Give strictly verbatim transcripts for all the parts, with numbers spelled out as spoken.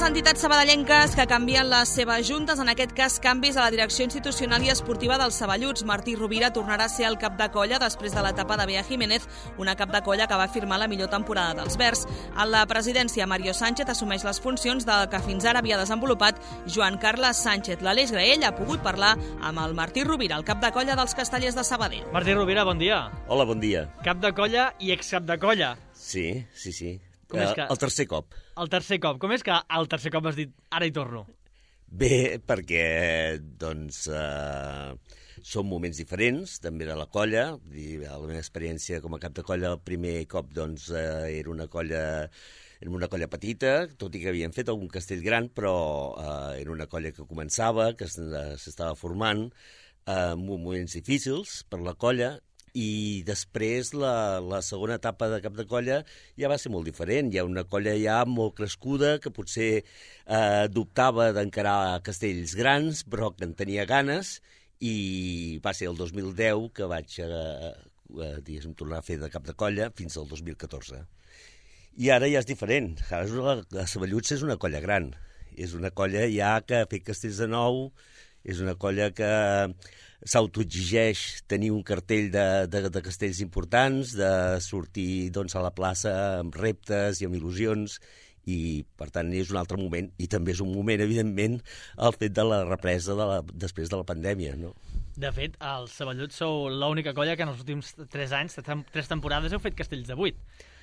les entitats sabadellenques que canvien les seves juntes, en aquest cas canvis a la direcció institucional i esportiva dels Saballuts. Martí Rovira tornarà a ser el cap de colla després de l'etapa de Bea Jiménez, una cap de colla que va firmar la millor temporada dels Verds. A la presidència, Mario Sánchez assumeix les funcions del que fins ara havia desenvolupat Joan Carles Sánchez. L'Aleix Graell ha pogut parlar amb el Martí Rovira, el cap de colla dels Castellers de Sabadell. Martí Rovira, bon dia. Hola, bon dia. Cap de colla i excap de colla. Sí, sí, sí. Com és que... El tercer cop. El tercer cop. Com és que el tercer cop has dit ara hi torno? Bé, perquè, doncs, eh, són moments diferents, també de la colla. La meva experiència com a cap de colla, el primer cop, doncs, eh, era una colla... Era una colla petita, tot i que havien fet algun castell gran, però eh, era una colla que començava, que s'estava formant, eh, en moments difícils per la colla, i després la, la segona etapa de cap de colla ja va ser molt diferent. Hi ha una colla ja molt crescuda que potser eh, dubtava d'encarar castells grans, però que en tenia ganes, i va ser el dos mil deu que vaig eh, eh, diguéssim, tornar a fer de cap de colla fins al dos mil catorze. I ara ja és diferent. Ara la, la Saballuts és una colla gran. És una colla ja que ha fet castells de nou, és una colla que s'autoexigeix tenir un cartell de, de, de castells importants, de sortir doncs, a la plaça amb reptes i amb il·lusions, i per tant és un altre moment, i també és un moment, evidentment, el fet de la represa de la, després de la pandèmia, no? De fet, els Saballuts sou l'única colla que en els últims tres anys, tres temporades, heu fet castells de vuit.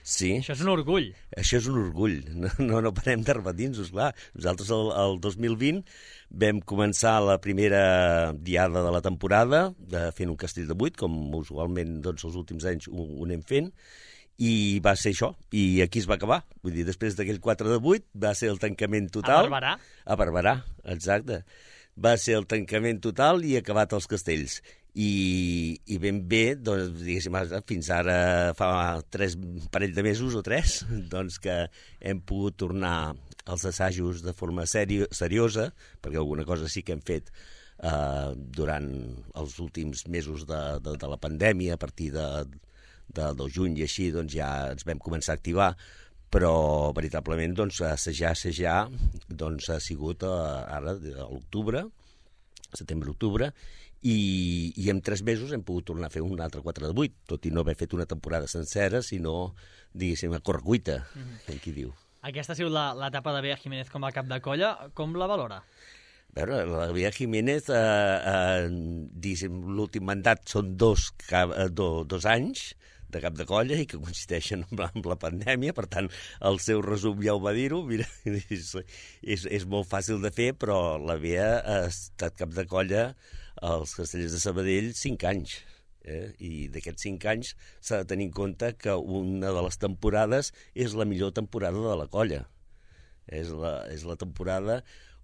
Sí. Això és un orgull. Això és un orgull. No, no, no parem de repetir-nos, clar. Nosaltres el, el dos mil vint vam començar la primera diada de la temporada de fent un castell de vuit, com usualment doncs, els últims anys ho, ho anem fent, i va ser això, i aquí es va acabar. Vull dir, després d'aquell quatre de vuit va ser el tancament total. A Barberà. A Barberà, exacte. Va ser el tancament total i acabat els castells. I, i ben bé, doncs, diguéssim, fins ara fa tres parell de mesos o tres, doncs que hem pogut tornar als assajos de forma seri seriosa, perquè alguna cosa sí que hem fet eh, durant els últims mesos de, de, de la pandèmia, a partir de, de, del juny i així, doncs ja ens vam començar a activar, però veritablement doncs, assajar, assajar doncs, ha sigut eh, ara a l'octubre, setembre-octubre, i, i en tres mesos hem pogut tornar a fer un altre quatre de vuit, tot i no haver fet una temporada sencera, sinó, diguéssim, a correcuita, mm-hmm. com qui diu. Aquesta ha sigut l'etapa de Bea Jiménez com a cap de colla. Com la valora? A veure, la Bea Jiménez, eh, eh, diguéssim, l'últim mandat són dos, do, dos anys de cap de colla i que coincideixen amb la, amb la pandèmia, per tant, el seu resum ja ho va dir-ho, mira, és, és, és molt fàcil de fer, però la Bea ha estat cap de colla als Castellers de Sabadell cinc anys. Eh? I d'aquests cinc anys s'ha de tenir en compte que una de les temporades és la millor temporada de la colla. És la, és la temporada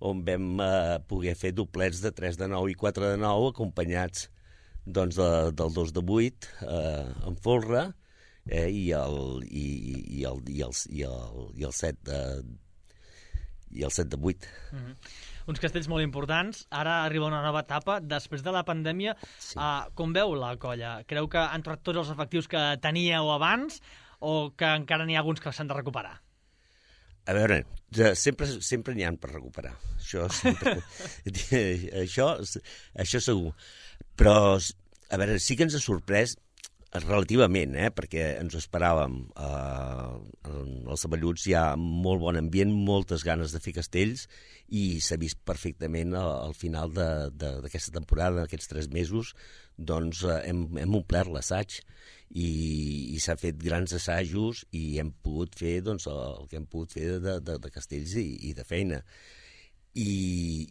on vam eh, poder fer doblets de tres de nou i quatre de nou, acompanyats doncs, de, del dos de vuit eh, en folre eh, i, el, i, i, el, i, el, i, el, i el set de i el set de vuit. Mm-hmm. Uns castells molt importants. Ara arriba una nova etapa. Després de la pandèmia, sí. uh, com veu la colla? Creu que han trobat tots els efectius que teníeu abans o que encara n'hi ha alguns que s'han de recuperar? A veure, sempre sempre n'hi ha per recuperar. Això, sempre, això, això segur. Però, a veure, sí que ens ha sorprès relativament, eh? Perquè ens ho esperàvem. Eh, als Saballuts hi ha molt bon ambient, moltes ganes de fer castells, i s'ha vist perfectament al final d'aquesta temporada, d'aquests tres mesos, doncs eh, hem, hem omplert l'assaig i, i s'ha fet grans assajos i hem pogut fer doncs, el que hem pogut fer de, de, de castells i, i de feina. I,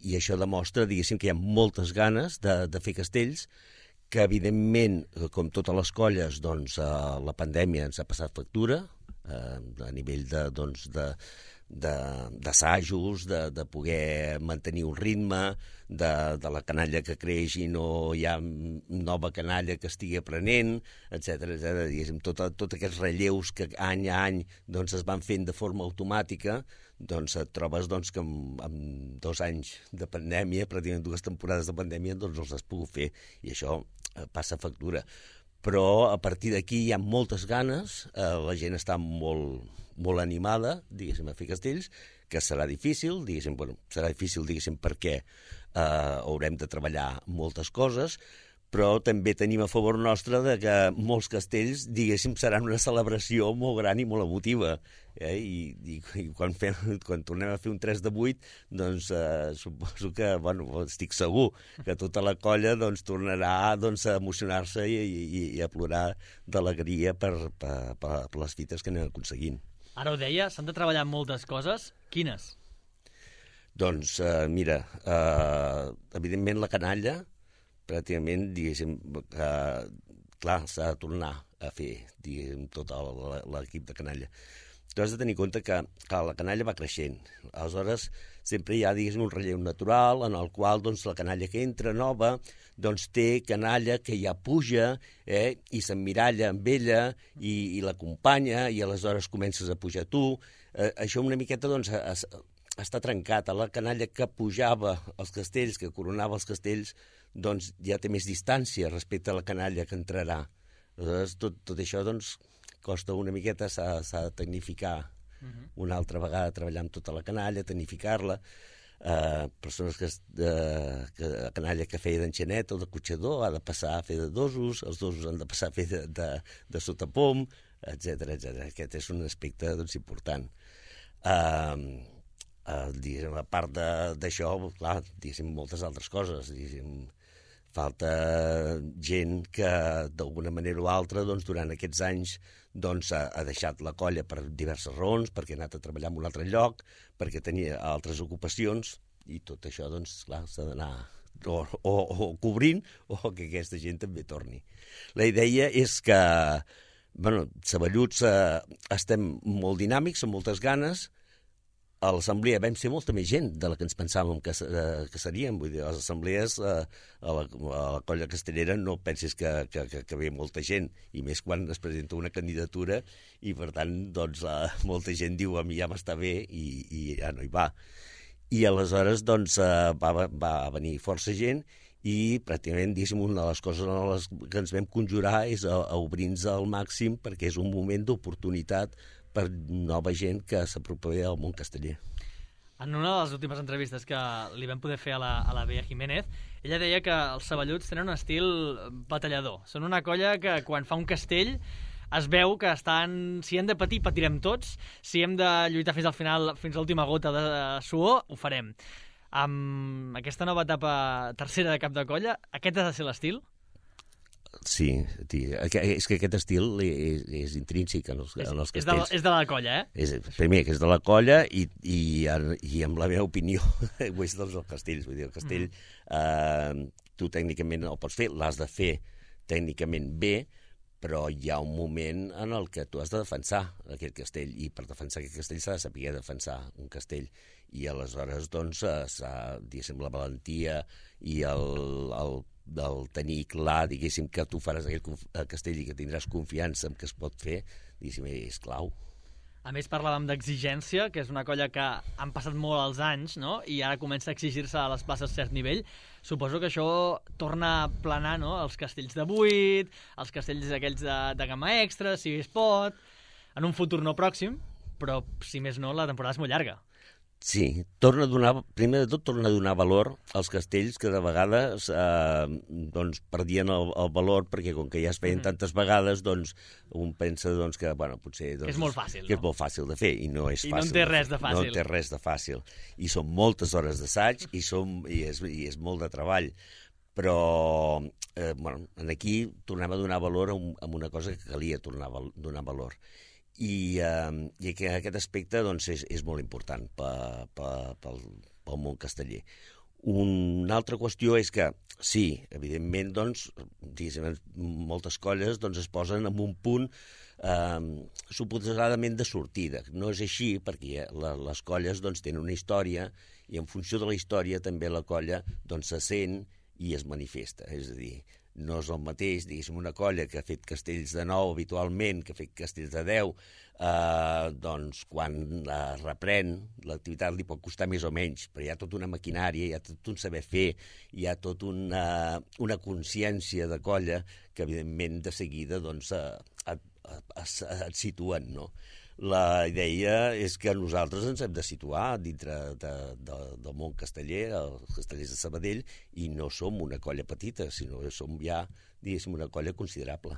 i això demostra, diguéssim, que hi ha moltes ganes de, de fer castells, que evidentment, com totes les colles, doncs, eh, la pandèmia ens ha passat factura, eh, a nivell de, doncs, de, d'assajos, de, de poder mantenir un ritme, de, de la canalla que creix i no hi ha nova canalla que estigui aprenent, etcètera, etcètera. Diguéssim, tots tot aquests relleus que any a any doncs, es van fent de forma automàtica, doncs et trobes doncs, que amb, amb dos anys de pandèmia, pràcticament dues temporades de pandèmia, doncs els has pogut fer, i això eh, passa factura. però a partir d'aquí hi ha moltes ganes, eh, la gent està molt, molt animada, diguéssim, a fer castells, que serà difícil, diguéssim, bueno, serà difícil, diguéssim, perquè eh, haurem de treballar moltes coses, però també tenim a favor nostre de que molts castells, diguéssim, seran una celebració molt gran i molt emotiva. Eh? I, i, i quan, fem, quan tornem a fer un tres de vuit, doncs eh, suposo que, bueno, estic segur que tota la colla doncs, tornarà doncs, a emocionar-se i, i, i a plorar d'alegria per, per, per, per les fites que anem aconseguint. Ara ho deia, s'han de treballar moltes coses. Quines? Doncs, eh, mira, eh, evidentment la canalla, pràcticament, diguéssim, que, clar, s'ha de tornar a fer, diguéssim, tot l'equip de canalla. Tu has de tenir en compte que, que la canalla va creixent. Aleshores, sempre hi ha, diguéssim, un relleu natural en el qual doncs, la canalla que entra nova doncs, té canalla que ja puja eh, i s'emmiralla amb ella i, i l'acompanya i aleshores comences a pujar tu. Eh, això una miqueta doncs, es, està trencat. La canalla que pujava als castells, que coronava els castells, doncs ja té més distància respecte a la canalla que entrarà. Aleshores, tot, tot això doncs, costa una miqueta, s'ha de tecnificar uh-huh. una altra vegada, treballar amb tota la canalla, tecnificar-la. Uh, persones que, uh, que la canalla que feia d'enxanet o de cotxador ha de passar a fer de dosos, els dosos han de passar a fer de, de, de sotapom, etcètera, etcètera. Aquest és un aspecte doncs, important. Uh, uh, diguéssim, a part d'això, clar, diguéssim, moltes altres coses, diguéssim, falta gent que d'alguna manera o altra doncs, durant aquests anys doncs, ha, ha deixat la colla per diverses raons, perquè ha anat a treballar en un altre lloc, perquè tenia altres ocupacions, i tot això doncs, clar, s'ha d'anar o, o, o cobrint o que aquesta gent també torni. La idea és que, bueno, Saballuts eh, estem molt dinàmics, amb moltes ganes. A l'assemblea vam ser molta més gent de la que ens pensàvem que, eh, que seríem. Vull dir, a les assemblees, eh, a, la, a la colla castellera, no pensis que, que, que, que ve molta gent, i més quan es presenta una candidatura, i per tant, doncs, eh, molta gent diu a mi ja m'està bé, i, i ja no hi va. I aleshores, doncs, eh, va, va venir força gent, i pràcticament, diguéssim, una de les coses en les que ens vam conjurar és a, a obrir-nos al màxim, perquè és un moment d'oportunitat per nova gent que s'apropi al món casteller. En una de les últimes entrevistes que li vam poder fer a la, a la Bea Jiménez, ella deia que els Saballuts tenen un estil batallador. Són una colla que quan fa un castell es veu que estan, si hem de patir, patirem tots, si hem de lluitar fins al final, fins a l'última gota de suor, ho farem. Amb aquesta nova etapa tercera de cap de colla, aquest ha de ser l'estil? Sí, és que aquest estil és, és intrínsec en els, és, en els castells. És de, és de la colla, eh? És, primer, que és de la colla i, i, i amb la meva opinió ho és dels castells. Vull dir, el castell mm. eh, tu tècnicament el pots fer, l'has de fer tècnicament bé, però hi ha un moment en el que tu has de defensar aquest castell, i per defensar aquest castell s'ha de saber defensar un castell, i aleshores doncs s'ha, diguéssim, la valentia i el, el del tenir clar, diguéssim, que tu faràs aquest castell i que tindràs confiança en que es pot fer, diguéssim, és clau. A més, parlàvem d'exigència, que és una colla que han passat molt els anys, no? I ara comença a exigir-se a les places a cert nivell. Suposo que això torna a planar, no? Els castells de vuit, els castells aquells de, de gamma extra, si es pot, en un futur no pròxim, però, si més no, la temporada és molt llarga. Sí, torna a donar, primer de tot torna a donar valor als castells que de vegades eh, doncs, perdien el, el valor, perquè com que ja es feien mm-hmm. tantes vegades, doncs un pensa doncs, que, bueno, potser, doncs, que és molt fàcil, que no? és molt fàcil de fer, i no és I fàcil. I no en té res de fàcil. No en té res de fàcil. I són moltes hores d'assaig i, som, i, és, i és molt de treball. Però eh, bueno, aquí tornem a donar valor a, un, a una cosa que calia tornar a donar valor. I, eh, i que aquest aspecte doncs, és, és molt important pa, pa, pel, pel món casteller. Una altra qüestió és que, sí, evidentment, doncs, moltes colles doncs, es posen en un punt eh, suposadament de sortida. No és així, perquè la, les colles doncs, tenen una història, i en funció de la història també la colla doncs, se sent i es manifesta. És a dir, no és el mateix, diguéssim, una colla que ha fet castells de nou habitualment, que ha fet castells de deu, eh, doncs quan eh, reprèn l'activitat li pot costar més o menys, però hi ha tota una maquinària, hi ha tot un saber fer, hi ha tota una, una consciència de colla que, evidentment, de seguida doncs, et, et, et, et situen, no? La idea és que nosaltres ens hem de situar dintre de, de, del món casteller, els castellers de Sabadell, i no som una colla petita, sinó que som ja, diguéssim, una colla considerable.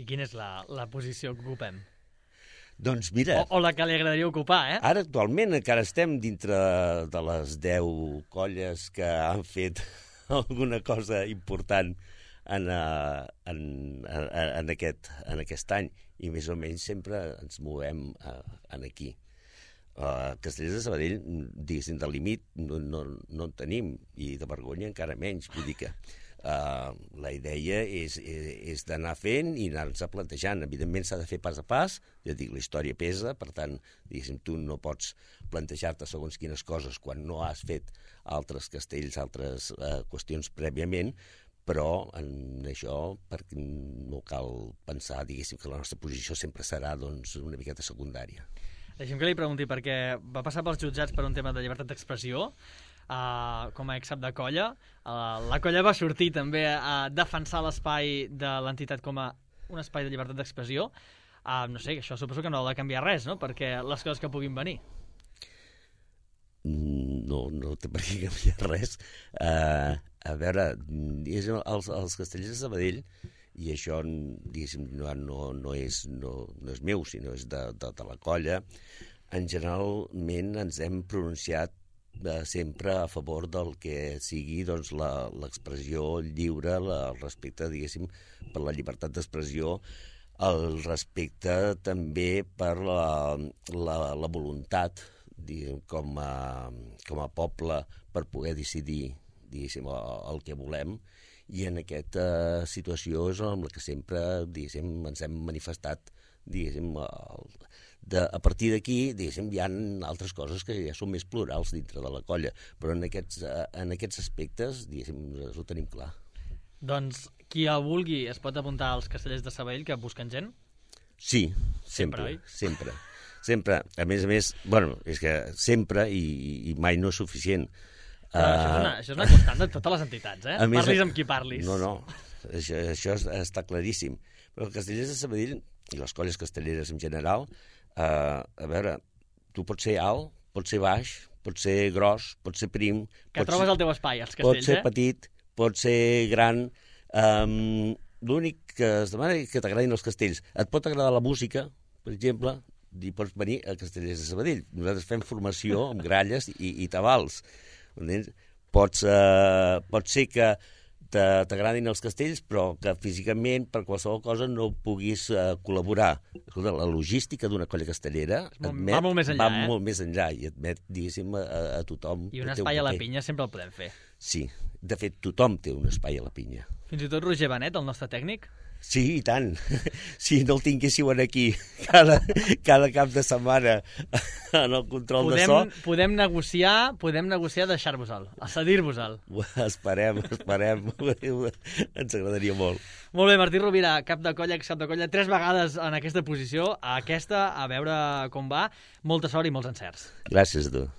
I quina és la, la posició que ocupem? Doncs mira... O, o la que li agradaria ocupar, eh? Ara, actualment, encara estem dintre de les deu colles que han fet alguna cosa important en, en, en, en, aquest, en aquest any, i més o menys sempre ens movem uh, en aquí. Uh, Castellers de Sabadell, diguéssim, de límit no, no, no en tenim, i de vergonya encara menys. Vull dir que uh, la idea és, és, és d'anar fent i anar-nos plantejant. Evidentment s'ha de fer pas a pas, ja dic, la història pesa, per tant, diguéssim, tu no pots plantejar-te segons quines coses quan no has fet altres castells, altres uh, qüestions prèviament, però en això perquè no cal pensar, diguéssim, que la nostra posició sempre serà doncs, una miqueta secundària. Deixem que li pregunti, perquè va passar pels jutjats per un tema de llibertat d'expressió, uh, com a ex-cap de colla. Uh, la colla va sortir també a defensar l'espai de l'entitat com a un espai de llibertat d'expressió. Uh, no sé, això suposo que no ha de canviar res, no?, perquè les coses que puguin venir. No, no té per què canviar res. Uh, a veure, els, els castellers de Sabadell, i això diguéssim, no, no, no, és, no, no és meu, sinó és de, de, de la colla, en generalment ens hem pronunciat eh, sempre a favor del que sigui doncs, l'expressió lliure, la, el respecte, diguéssim, per la llibertat d'expressió, el respecte també per la, la, la voluntat, diguem, com a, com a poble, per poder decidir, diguéssim, el, el que volem, i en aquesta situació és en la que sempre, diguéssim, ens hem manifestat, diguéssim, el, de, a partir d'aquí, diguéssim, hi ha altres coses que ja són més plurals dintre de la colla, però en aquests, en aquests aspectes, diguéssim, ho tenim clar. Doncs qui el vulgui es pot apuntar als castellers de Sabadell que busquen gent? Sí, sempre, sempre. Sempre. A més a més, bueno, és que sempre i, i mai no és suficient. Però uh, això, és una, això és una constant de totes les entitats, eh? Més, parlis amb qui parlis. No, no, això, això està claríssim. Però els castellers de Sabadell, i les colles castelleres en general, uh, a veure, tu pots ser alt, pots ser baix, pots ser gros, pots ser prim... Que trobes ser, el teu espai, els castells, eh? Pots ser petit, pots ser gran... Um, l'únic que es demana és que t'agradin els castells. Et pot agradar la música, per exemple, i pots venir a Castellers de Sabadell. Nosaltres fem formació amb gralles i, i tabals. Pots, uh, pot ser que t'agradin els castells, però que físicament, per qualsevol cosa, no puguis uh, col·laborar. Escolta, la logística d'una colla castellera admet, va molt més enllà, va eh? molt més enllà i admet, diguéssim, a, a tothom. I un espai a la pinya sempre el podem fer. Sí, de fet, tothom té un espai a la pinya. Fins i tot Roger Benet, el nostre tècnic? Sí, i tant. Si no el tinguéssiu aquí cada, cada cap de setmana en el control podem, de so... Podem negociar, podem negociar deixar-vos-el, a cedir-vos-el. Esperem, esperem. Ens agradaria molt. Molt bé, Martí Rovira, cap de colla, ex-cap de colla, tres vegades en aquesta posició, a aquesta, a veure com va. Molta sort i molts encerts. Gràcies a tu.